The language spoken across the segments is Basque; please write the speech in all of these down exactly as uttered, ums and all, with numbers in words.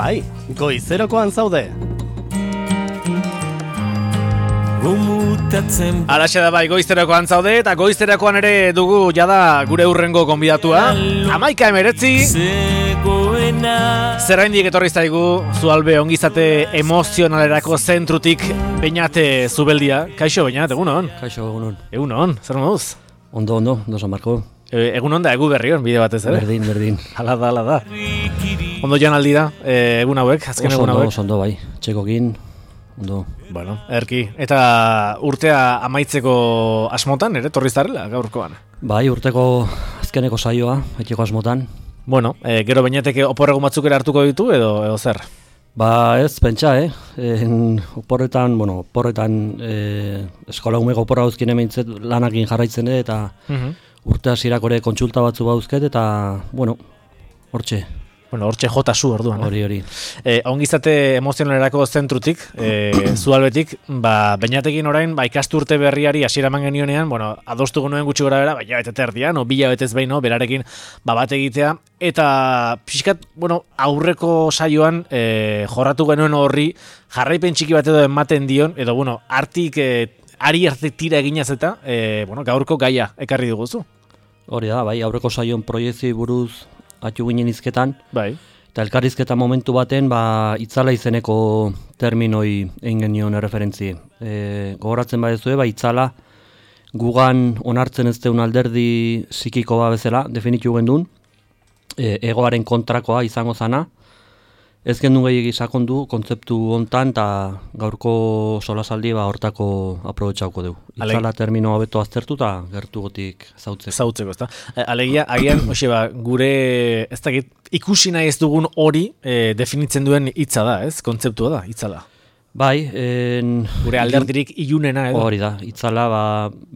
Bai, goizerokoan zaude. Alaxe da bai, goizterakoan zaude, eta goizterakoan ere dugu jada gure hurrengo gonbidatua. Amaika emeretzi. Zeraindik etorri zaigu, zualbe ongizate emozionalerako zentrutik Beñate Zubeldia. Kaixo, Beñat, egunon? Kaixo, egunon. Egunon, zer moduz? Ondo, ondo, ondo San Marko. E, egunon da, egu berrion, bide batez, ere? Berdin, berdin. Hala da, hala da. Ondo jan aldira, e, egun hauek, azken oso egun hauek? Oso ondo, bai, txekokin, ondo. Bueno, erki. Eta urtea amaitzeko asmotan, ere, torri zarela, gaurkoan? Bai, urteko azkeneko saioa, etxeko asmotan. Bueno, e, gero Beñateke oporregun batzuk ere hartuko ditu, edo, edo zer? Ba ez, pentsa, eh? En, oporretan, bueno, oporretan eh, eskola umeko oporra hauzkin emeintzet lanakin jarraitzen dut, eta uh-huh. urte hasierako ere kontsulta batzu bauzket, eta, bueno, hortxe. Bueno, hortxe jota zu orduan. Hori, hori. Eh, ongizate emozionalerako zentrutik, eh, zualbetik, ba, Beñatekin orain, ba, ikasturte berriari hasiera eman genionean, bueno, adostu genuen gutxi gora bera, ba, jabete terdian, o bila betez behin, no, berarekin, ba, bat egitea, eta pixkat, bueno, aurreko saioan eh, jorratu genuen horri, jarraipen txiki bat edo ematen dion, edo, bueno, artik, eh, ari arte tira eginaz eta, eh, bueno, gaurko gaia ekarri duguzu. Hori da, bai, aurreko saioan proiektzio buruz atxu ginen izketan, bai. Eta elkarrizketa momentu baten, ba, itzala izeneko terminoi egin genion erreferentzi. E, gogoratzen badezue, ba, itzala gugan onartzen ez deun alderdi psikiko ba bezala, definitu gendun, e, egoaren kontrakoa izango zana, ez gendun gehiagi sakondu kontzeptu hontan, eta gaurko solasaldi ba, hortako aprobetxauko dugu. Itzala termino hobeto aztertu eta gertu gotik zautzeko. Zautzeko, ezta? Alegia, agian, hoxe ba, gure, ez dakit, ikusi nahi ez dugun hori e, definitzen duen hitza da, ez? Kontzeptua da, itzala. Bai, en, gure alderdirik ilunena edo. Hori da, itzala ba,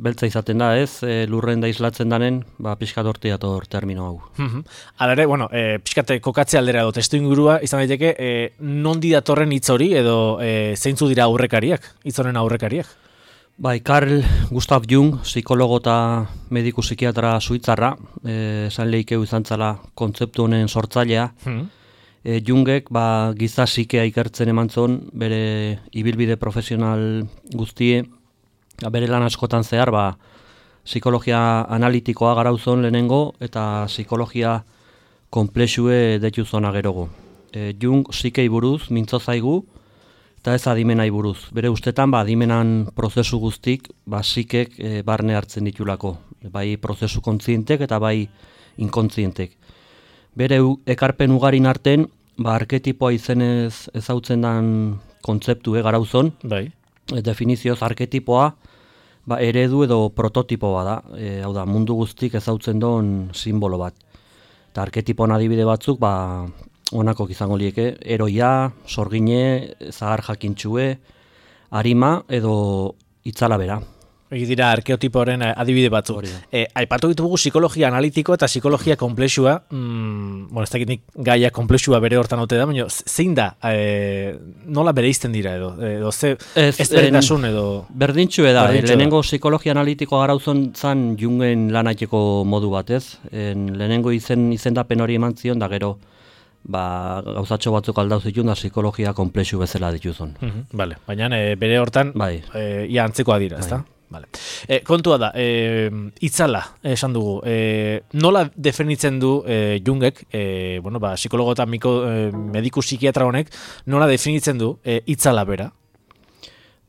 beltza izaten da, ez? E, lurren da islatzen danen, ba, pixkat horti dator termino hau. Uh-huh. Hala ere, bueno, e, pixkat kokatze aldera edo testu ingurua izan daiteke, e, nondi datorren hitz hori edo e, zeintzu dira aurrekariak, hitz honen aurrekariak? Bai, Carl Gustav Jung, psikologo eta mediku psikiatra suitzarra, esan e, lehikeu izan zala kontzeptu honen sortzailea. Hmm. E, Jungek ba, giza psikea ikertzen eman zon, bere ibilbide profesional guztie, bere lan askotan zehar, ba, psikologia analitikoa garauzon lehenengo, eta psikologia konplexue detu zona gerogo. E, Jung psikei buruz, mintzo zaigu, eta ez adimenai buruz. Bere ustetan, ba, adimenan prozesu guztik, ba, psikek e, barne hartzen ditulako. Bai prozesu kontzientek eta bai inkontzientek. Bere ekarpen ugarin arten, ba, arketipoa izenez ezautzen dan kontzeptu e, garauzon. Bai. E, definizioz arketipoa ba, eredu edo prototipoa da. E, hau da, mundu guztik ezautzen don simbolo bat. Eta arketipoan adibide batzuk, ba, honako izango lieke, eroia, sorgine, zahar jakintxue, arima edo itzala bera. Egi dira arkeotipoaren adibide batzuk. E, aipatu ditugu psikologia analitiko eta psikologia konplexua, mm, bueno, ez dakit nik gaia konplexua bere hortan ote da, baina zein da, e, nola bereizten dira edo, edo ze ezberdintasun edo... Berdintxue da, e, lehenengo psikologia analitikoa garauzon zan Jungen lanaiteko modu bat, ez? En, lehenengo izen, izendapen hori eman zion, da gero, ba, gauzatxo batzuk aldauz ditun da psikologia konplexu bezala dituzun. Uh-huh, vale. Baina e, bere hortan, bai. e, ia antzekoa dira, ezta? Bai. Vale. E, kontua da, e, itzala esan dugu, e, nola definitzen du e, Jungek, e, bueno, ba, psikologo eta miko, e, mediku psikiatra honek, nola definitzen du e, itzala bera?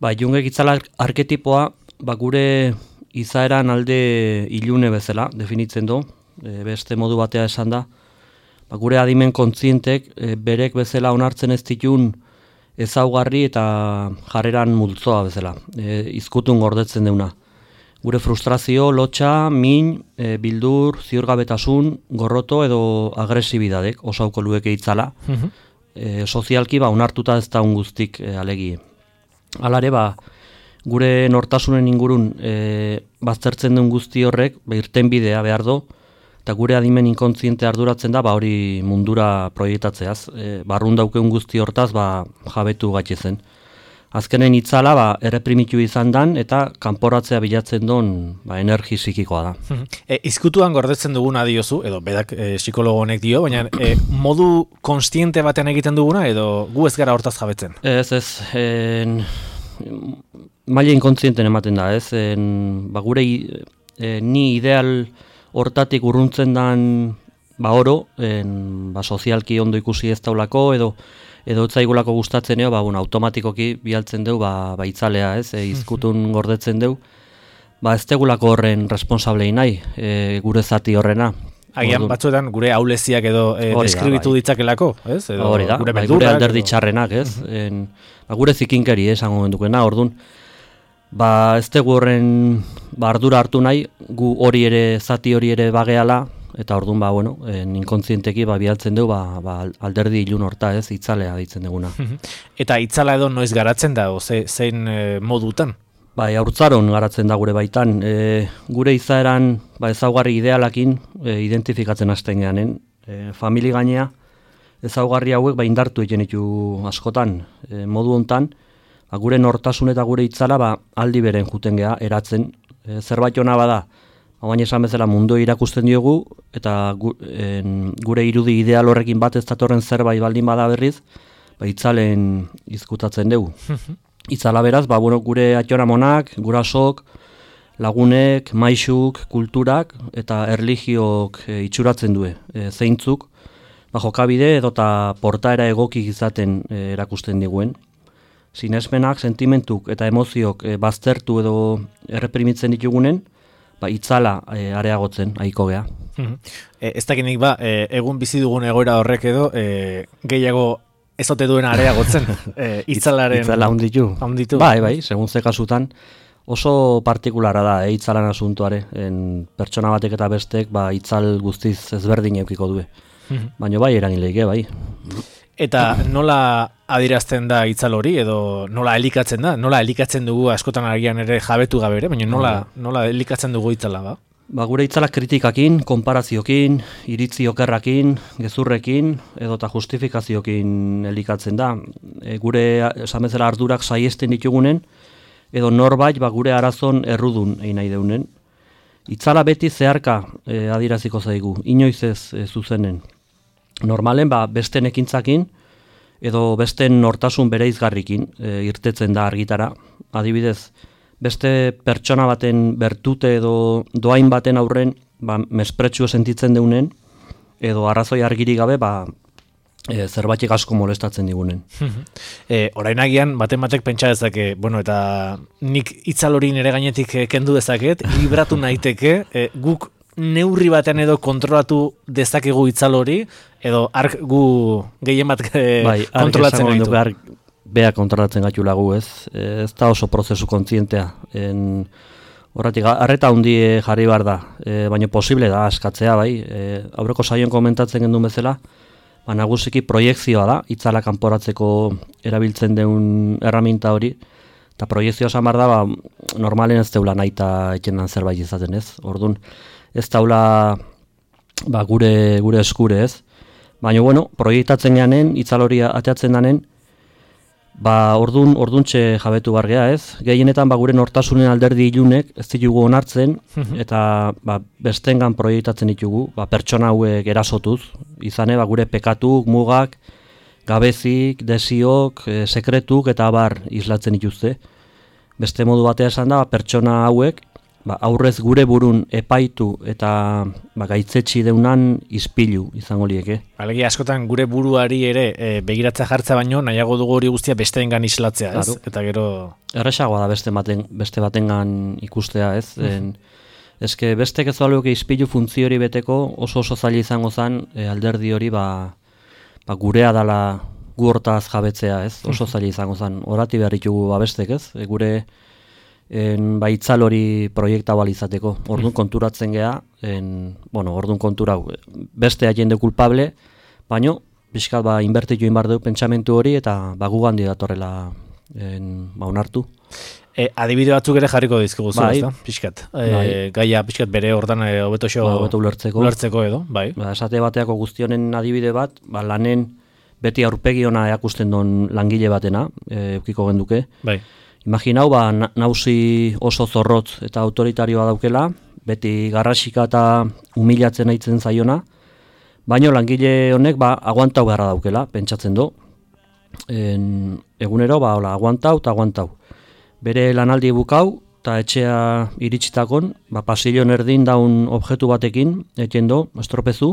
Ba, Jungek itzala arketipoa, ba, gure izaeran alde ilune bezala definitzen du, e, beste modu batea esan da, ba, gure adimen kontzientek e, berek bezala onartzen ez ditun ezaugarri eta jarreran multzoa bezala, e, izkutun gordetzen deuna. Gure frustrazio, lotxa, min, e, bildur, ziurgabetasun, gorroto edo agresibidadek osauko lueke itzala. Uh-huh. e, sozialki ba, onartuta ez da guztik e, alegi. Halare, ba, gure nortasunen ingurun e, baztertzen duen guzti horrek, ba, irten bidea behar do, eta gure adimen inkontziente arduratzen da, ba, hori mundura proiektatzeaz. E, barrun daukeun guzti hortaz, ba, jabetu gatxe zen. azkenen itzala ba, erreprimitu izan dan eta kanporatzea bilatzen duen ba, energi psikikoa da. E, izkutuan gordetzen duguna diozu, edo bedak e, psikologo honek dio, baina e, modu konstiente batean egiten duguna, edo gu ez gara hortaz jabetzen? Ez, ez, en, maila inkontzienten ematen da, ez, en, ba, gure e, ni ideal hortatik urruntzen dan ba oro, en, ba, sozialki ondo ikusi ez daulako, edo edo etzaigulako gustatzen eo, ba, bueno, automatikoki bialtzen deu, ba, ba itzalea, ez, e, izkutun gordetzen deu, ba, ez tegulako horren responsablei nahi, e, gure zati horrena. Agian batzuetan gure auleziak edo e, deskribitu bai. ditzakelako, ez? Edo hori da, gure, bai, gure alderdi txarrenak, ez? Uh -huh. en, ba, gure zikinkeri, esango mendukena, orduan, ba, ez tegu horren ba, ardura hartu nahi, gu hori ere, zati hori ere bageala, eta orduan, ba, bueno, en, inkontzienteki ba, bialtzen dugu, ba, ba, alderdi ilun horta, ez, itzalea ditzen duguna. Eta itzala edo noiz garatzen da, ze, zein e, modutan? Bai, haurtzaron garatzen da gure baitan. E, gure izaeran ba, ezaugarri idealakin e, identifikatzen hasten geanen. E, famili gainea, ezaugarri hauek ba, indartu egiten ditu askotan. E, modu hontan, ba, gure nortasun eta gure itzala ba, aldi beren juten gea, eratzen. E, zerbait hona bada, ba, baina esan bezala mundu irakusten diogu, eta gu, en, gure irudi ideal horrekin bat ez datorren zerbait baldin bada berriz, ba, itzalen izkutatzen dugu. Itzala beraz, ba, bueno, gure atxonamonak, gurasok, lagunek, maixuk, kulturak eta erlijiok e, itxuratzen due, e, zeintzuk, ba, jokabide edo eta portaera egokik izaten e, erakusten diguen. Sinesmenak, sentimentuk eta emoziok e, baztertu edo erreprimitzen ditugunen, ba, itzala e, areagotzen, ahiko gea. E, ez dakinik ba, e, egun bizi dugun egoera horrek edo, e, gehiago ez ote duen areagotzen, e, itzalaren... Itzala hunditu. Hunditu. Bai, bai, segun ze kasutan, oso partikulara da, e, itzalan asuntuare. En pertsona batek eta bestek, ba, itzal guztiz ezberdin eukiko due. Baina bai, eragileike, bai. Eta nola adierazten da itzal hori, edo nola elikatzen da? Nola elikatzen dugu askotan agian ere jabetu gabe ere, baina nola, nola elikatzen dugu itzala ba? Ba, gure itzalak kritikakin, konparaziokin, iritzi okerrakin, gezurrekin, edota justifikaziokin elikatzen da. E, gure, esan bezala ardurak saiesten ditugunen, edo norbait ba, gure arazon errudun egin nahi deunen. Itzala beti zeharka e, adieraziko zaigu, inoiz ez e, zuzenen. Normalen, ba, besten ekintzakin, edo besten nortasun bereizgarrikin e, irtetzen da argitara. Adibidez, beste pertsona baten bertute edo doain baten aurren ba, mespretxu sentitzen deunen, edo arrazoi argiri gabe ba, e, zerbaitek asko molestatzen digunen. e, orain agian, baten batek pentsa dezake, bueno, eta nik itzal hori nire gainetik kendu dezaket, libratu naiteke, e, guk neurri batean edo kontrolatu dezakegu itzal hori, edo ark gu gehien bat e, bai, kontrolatzen gaitu. Bea kontrolatzen gaitu lagu, ez? Ez da oso prozesu kontzientea. En, horretik, arreta hundi jarri behar da, e, baina posible da askatzea, bai. E, aurreko saioan komentatzen gendun bezala, ba, nagusiki proiekzioa da, itzala kanporatzeko erabiltzen deun erraminta hori, eta proiekzioa esan behar da, ba, normalen ez deula nahi eta etxenan zerbait izaten, ez? Orduan, ez daula ba, gure, gure eskure, ez? Baina, bueno, proiektatzen geanen, itzal hori ateatzen danen, ba, ordun, orduntxe jabetu bargea, ez? Gehienetan, ba, gure nortasunen alderdi ilunek ez ditugu onartzen, eta ba, bestengan proiektatzen ditugu, ba, pertsona hauek erasotuz, izane, ba, gure pekatuk, mugak, gabezik, desiok, e, sekretuk, eta abar islatzen dituzte. Beste modu batea esan da, ba, pertsona hauek, ba, aurrez gure burun epaitu eta ba, gaitzetsi deunan ispilu izango lieke. Alegia askotan gure buruari ere e, begiratza jartza baino nahiago dugu hori guztia besteengan islatzea, ez? Claro. Eta gero... Erresagoa da beste, baten, beste batengan ikustea, ez? Uh -huh. en, eske bestek ez baluke ispilu funtzio hori beteko oso oso zaila izango zen e, alderdi hori ba, ba, gurea dala gu hortaz jabetzea, ez? Oso zaila izango zen. Horati behar ditugu ba, bestek, ez? E, gure... En, ba, itzal hori proiekta balizateko. Orduan konturatzen gea, en, bueno, orduan kontura beste jende kulpable, baino, pixkat ba, inbertitu inbar dugu pentsamentu hori, eta ba, gugan datorrela en, ba, onartu. E, adibide batzuk ere jarriko dizkigu zu, ezta? Pixkat. E, bai. Gaia pixkat bere hortan e, hobetoxo ba, hobeto ulertzeko. ulertzeko edo, bai. Ba, esate bateako guztionen adibide bat, ba, lanen beti aurpegi ona erakusten duen langile batena, e, eukiko genduke. Bai. Imaginau, ba, nausi oso zorrotz eta autoritarioa daukela, beti garrasika eta humilatzen aitzen zaiona, baino langile honek ba, aguantau beharra daukela, pentsatzen du. En, egunero, ba, hola, aguantau eta aguantau. Bere lanaldi bukau, eta etxea iritsitakon, ba, pasilon erdin daun objektu batekin, eten do, estropezu,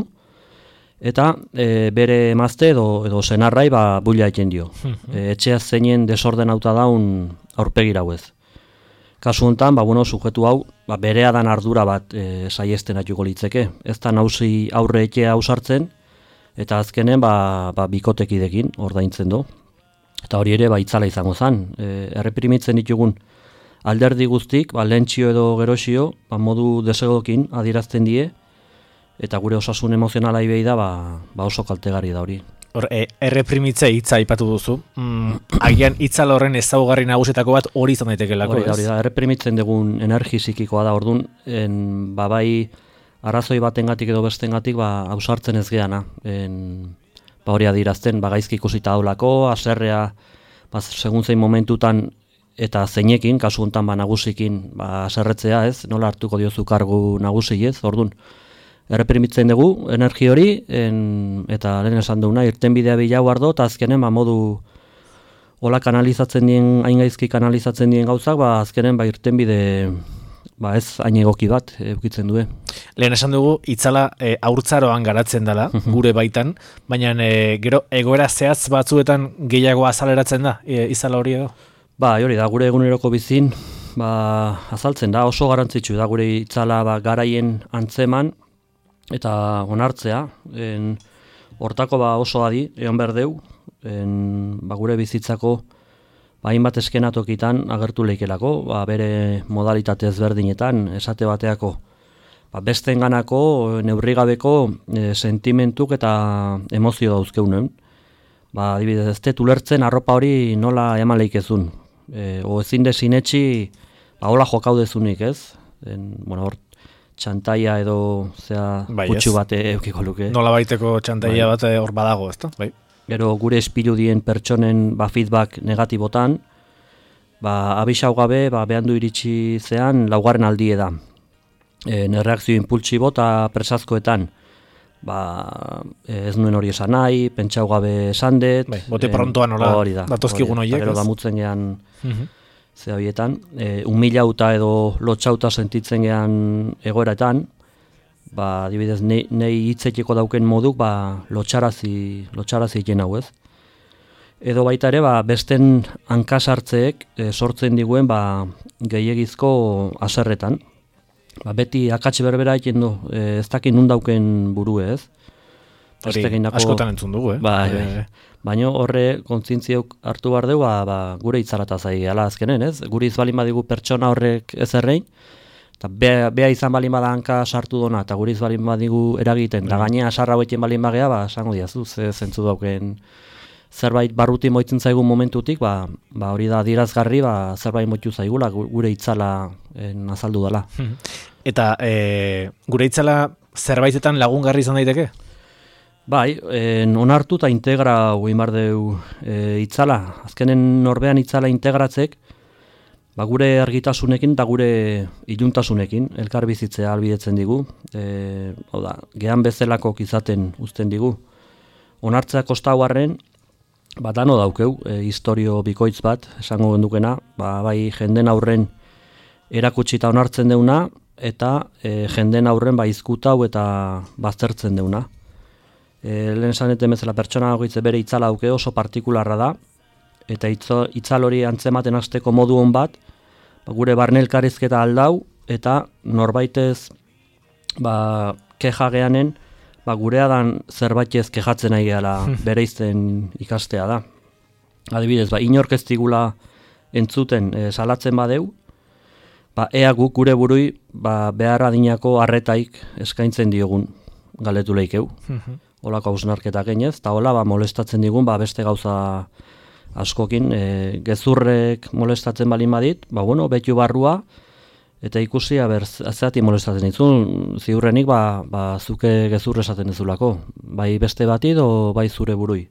eta e, bere emazte edo, edo senarrai ba, buila eten dio. e, etxea zeinen desorden auta daun aurpegira hauez. Kasu honetan, ba, bueno, sujetu hau, ba, berea dan ardura bat e, saiesten atuko litzeke. Ez da nauzi aurre etxea ausartzen, eta azkenen ba, ba, bikotekidekin ordaintzen do. Eta hori ere ba, itzala izango zen. E, erreprimitzen ditugun alderdi guztik, ba, lentsio edo gerosio, ba, modu desegokin adierazten die, eta gure osasun emozionala ibei da, ba, ba oso kaltegarri da hori. Hor, e, erreprimitze hitza aipatu duzu. Mm, agian itzal horren ezaugarri nagusetako bat hori izan daitekelako, hori da, hori da, erreprimitzen dugun energi psikikoa da, orduan, en, ba, bai, arrazoi batengatik edo bestengatik, ba, ausartzen ez geana. En, ba, hori adierazten, ba, gaizki ikusita daulako, haserrea, ba, segun zein momentutan, eta zeinekin, kasu honetan ba, nagusikin, ba, haserretzea ez, nola hartuko diozu kargu nagusi ez, orduan, erreprimitzen dugu energi hori, en, eta lehen esan duguna, irtenbidea bilau ardo, eta azkenen ba, modu hola kanalizatzen dien, hain gaizki kanalizatzen dien gauzak, ba, azkenen ba, irtenbide ba, ez hain egoki bat eukitzen du. Lehen esan dugu, itzala e, haurtzaroan garatzen dela, gure baitan, baina e, gero egoera zehatz batzuetan gehiago azaleratzen da, e, itzala hori edo? Ba, hori da, gure eguneroko bizin, ba, azaltzen da, oso garrantzitsu da, gure itzala ba, garaien antzeman, eta onartzea, en, hortako ba oso adi, egon behar deu, en, ba, gure bizitzako ba, hainbat eskenatokitan agertu leikelako, ba, bere modalitate ezberdinetan, esate bateako, ba, bestenganako neurrigabeko e, sentimentuk eta emozio dauzkeunen. Ba, adibidez, ez dut ulertzen arropa hori nola eman leikezun. E, o ezin desinetxi, ba, hola jokaudezunik, ez? En, bueno, hor, txantaia edo zea bai, kutsu bat eukiko luke. Nola baiteko txantaia bai. bat hor badago, ezta? Bai. Gero gure espiludien pertsonen ba, feedback negatibotan, ba, abisau gabe ba, behandu iritsi zean laugarren aldie da. E, Erreakzio impultsibo eta presazkoetan, ba, ez nuen hori esan nahi, pentsau gabe esan dut. Bai, bote prontoan nola datozkigun horiek. Gero damutzen gehan uh-huh. ze horietan, e, humilauta edo lotxauta sentitzen gehan egoeraetan, ba, adibidez, nei, nei hitzeteko dauken moduk, ba, lotxarazi, lotxarazi egin hau ez. Edo baita ere, ba, besten hankasartzeek e, sortzen diguen ba, gehiegizko haserretan. Ba, beti akats berbera egin du, e, ez dakit nun dauken buru ez. Hori askotan entzun dugu, eh? Ba, e, baina horre kontzientziok hartu behar dugu, ba, ba, gure itzalata zai, ala azkenen, ez? Gure izbalin badigu pertsona horrek ez errein, eta bea, bea izan balin bada hanka sartu dona, eta gure izbalin badigu eragiten, eta mm. gainea sarra hoetien balin bagea, ba, esango diazu, ze zentzu dauken zerbait barruti moitzen zaigun momentutik, ba, ba hori da adierazgarri, ba, zerbait moitu zaigula, gure itzala en, azaldu dela. Eta e, gure itzala zerbaitetan lagungarri izan daiteke? Bai, en, onartu eta integra egin behar deu e, itzala. Azkenen norbean itzala integratzek, ba, gure argitasunekin eta gure iluntasunekin elkar bizitzea albidetzen digu. E, hau da, gehan bezalakok izaten uzten digu. Onartzea kostau arren, ba, dano daukeu, e, historio bikoitz bat, esango gendukena, ba, bai jenden aurren erakutsita onartzen deuna, eta e, jenden aurren ba, izkutau eta baztertzen deuna. E, lehen esaneten bezala pertsona goitze bere itzala auke oso partikularra da, eta itzo, itzal hori antzematen hasteko modu hon bat, ba, gure barnelkarizketa aldau, eta norbaitez ba, keja geanen, ba, gurea dan zerbaitez kejatzen nahi gehala bere izten ikastea da. Adibidez, ba, inork ez digula entzuten e, salatzen badeu, ba, ea guk gure burui ba, behar adinako arretaik eskaintzen diogun galetu leikeu. Olako hausnarketak genez, eta hola ba, molestatzen digun ba, beste gauza askokin. E, gezurrek molestatzen balin badit, ba, bueno, betu barrua, eta ikusia ber, zeati molestatzen ditzun, ziurrenik ba, ba, zuke gezur esaten dizulako, bai beste bati edo bai zure burui.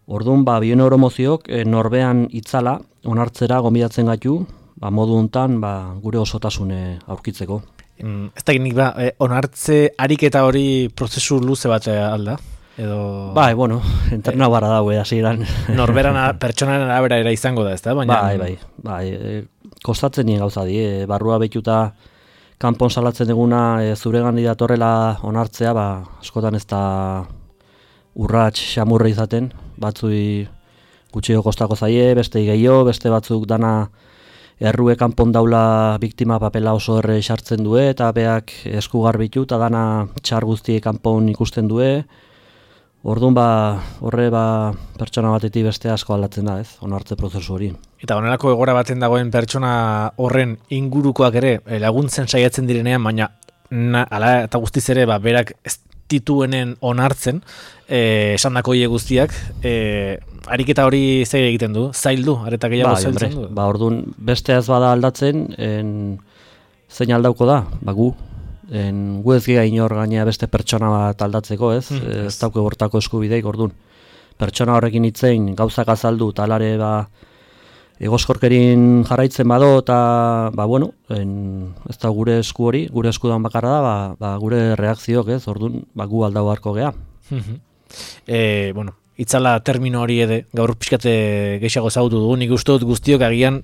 Orduan, ba, bioneuromoziok e, norbean itzala, onartzera gomidatzen gaitu, ba, modu hontan ba, gure osotasune aurkitzeko. Mm, ez da nik ba, eh, onartze ariketa hori prozesu luze bat alda? Edo... Bai, bueno, interna barra daue, hasieran. Norberan pertsonaren arabera era izango da, ez da? Baina... Bai, bai, bai, e, kostatzen nien gauza di, e, barrua behituta kanpon salatzen duguna e, zure gandi datorrela onartzea, ba, askotan ez da urrats xamurra izaten, batzui gutxio kostako zaie, beste gehiago, beste batzuk dana errue kanpon daula biktima papela oso erre sartzen due, eta beak esku garbitu, eta dana txar guztie kanpon ikusten due. Orduan ba, horre ba, pertsona batetik beste asko aldatzen da, ez, onartze prozesu hori. Eta honelako egora baten dagoen pertsona horren ingurukoak ere laguntzen saiatzen direnean, baina na, ala eta guztiz ere ba, berak ez dituenen onartzen, eh, esandako hile guztiak, eh, ariketa hori zer egiten du, zaildu, areta gehiago bai, zailtzen du. Ba, orduan beste ez bada aldatzen, en, zein aldauko da, ba gu. En, gu ez gira inor gainea beste pertsona bat aldatzeko, ez? Mm, ez dauke bortako eskubideik, orduan. Pertsona horrekin hitzein gauzak azaldu, talare ba, egoskorkerin jarraitzen bado, eta ba, bueno, en, ez da gure esku hori, gure eskudan bakarra da, ba, ba, gure reakziok, ez? Orduan, ba, gu aldau harko gea. e, bueno, itzala termino hori ede, gaur pixkate gehiago zautu dugu, nik uste dut guztiok agian,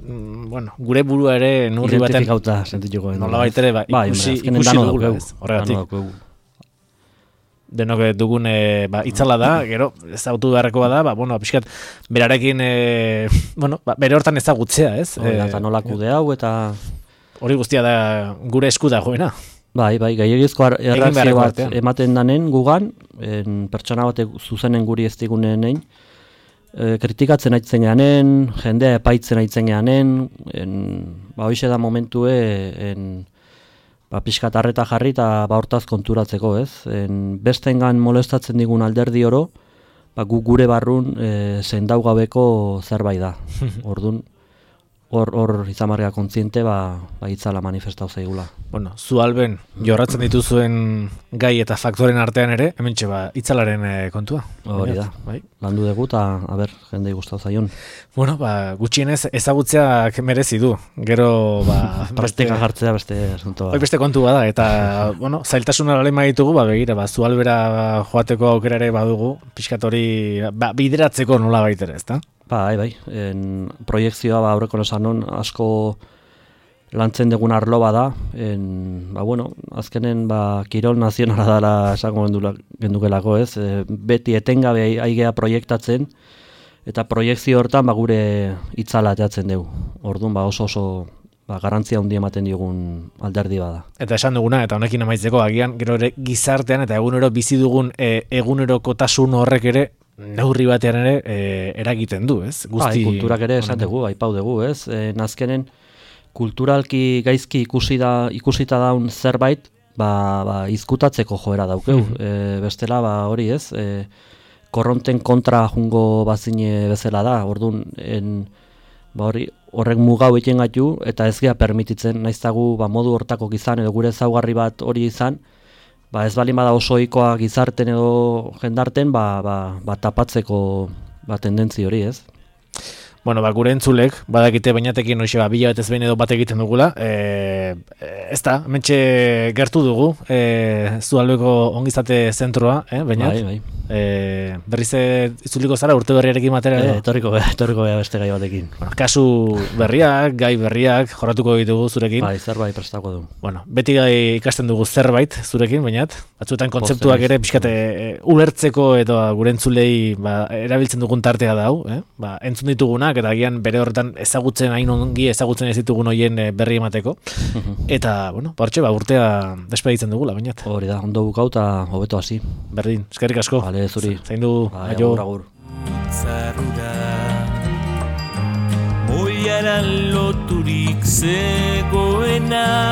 bueno, gure burua ere nurri baten... Identifikauta sentituko. Nola baitere, ba, ikusi, ba, ikusi dugula, ez, horregatik. Denok dugun e, ba, itzala da, gero, ezautu beharrekoa da, ba, bueno, pixkat, berarekin, e, bueno, ba, bere hortan ezagutzea, ez? Eta nola kude hau, eta... Hori guztia da gure esku da joena. Bai, bai, gehiagizko erreakzio bat ematen danen gugan, en, pertsona batek zuzenen guri ez digunen egin, e, kritikatzen aitzen geanen, jendea epaitzen aitzen geanen, ba, hoxe da momentue, en, ba, pixkat arreta jarri eta ba, hortaz konturatzeko, ez? En, bestengan molestatzen digun alderdi oro, ba, gu gure barrun e, zendau gabeko zerbait da. Orduan, hor hor izamarga kontziente ba, ba itzala manifestau zaigula. Bueno, zu alben jorratzen dituzuen gai eta faktoren artean ere, hementxe ba itzalaren e, kontua. Hori da. Bai. Landu dugu eta a ber, jendei gustatu zaion. Bueno, ba gutxienez ezagutzeak merezi du. Gero ba praktika jartzea beste asunto. Hoi beste kontu bada eta bueno, zailtasuna lema ditugu, ba begira, ba zu albera joateko aukera ere badugu, pixkat hori ba, bideratzeko nola baitere, ezta? Bai, bai, en, proiektzioa ba, aurreko nosanon asko lantzen dugun arlo bada, en, ba, bueno, azkenen ba, kirol nazionala dela esango gendukelako, ez? E, beti etengabe aigea proiektatzen, eta proiektzio hortan ba, gure itzala ateatzen dugu. Orduan ba, oso oso ba, garantzia handi ematen diogun alderdi bada. Eta esan duguna, eta honekin amaitzeko, agian gero ere gizartean eta egunero bizi dugun e, egunerokotasun horrek ere neurri batean ere e, eragiten du, ez? Guzti, bai, kulturak ere esategu, aipau dugu, ez? E, nazkenen kulturalki gaizki ikusi da, ikusita daun zerbait, ba, ba, izkutatzeko joera daukeu. Mm -hmm. e, bestela, ba, hori ez, e, korronten kontra jungo bazine bezala da, orduan, en, ba, hori, horrek mugau egiten gaitu, eta ez gea permititzen, naiztagu ba, modu hortako izan, edo gure ezaugarri bat hori izan, ba ez balin bada oso ohikoa gizarten edo jendarten, ba, ba, ba tapatzeko ba, tendentzi hori, ez? Bueno, ba, gure entzulek, badakite bainatekin hoxe, ba, bila batez behin edo bat egiten dugula, e, ez da, mentxe gertu dugu, e, Zualbeko ongizate zentroa, eh, bainat? Bai, bai. E, berriz itzuliko zara urte berriarekin batera edo? E, torriko, torriko bea beste gai batekin. Bueno, kasu berriak, gai berriak, jorratuko ditugu zurekin. Bai, zerbait prestako du. Bueno, beti gai ikasten dugu zerbait zurekin, bainat? Batzuetan kontzeptuak ere pixkate e, ulertzeko edo gure entzulei ba, erabiltzen dugun tartea da hau, eh? Ba, entzun ditugunak eta agian bere horretan ezagutzen, hain ongi ezagutzen ez ditugun hoien e, berri emateko. Eta, bueno, partxe, ba, urtea despeditzen dugula, bainat. Hori da, ondo bukau eta hobeto hasi. Berdin, eskerrik asko. Vale, zuri. Zain du, bai, agur, agur. Zarura Moiaran loturik zegoena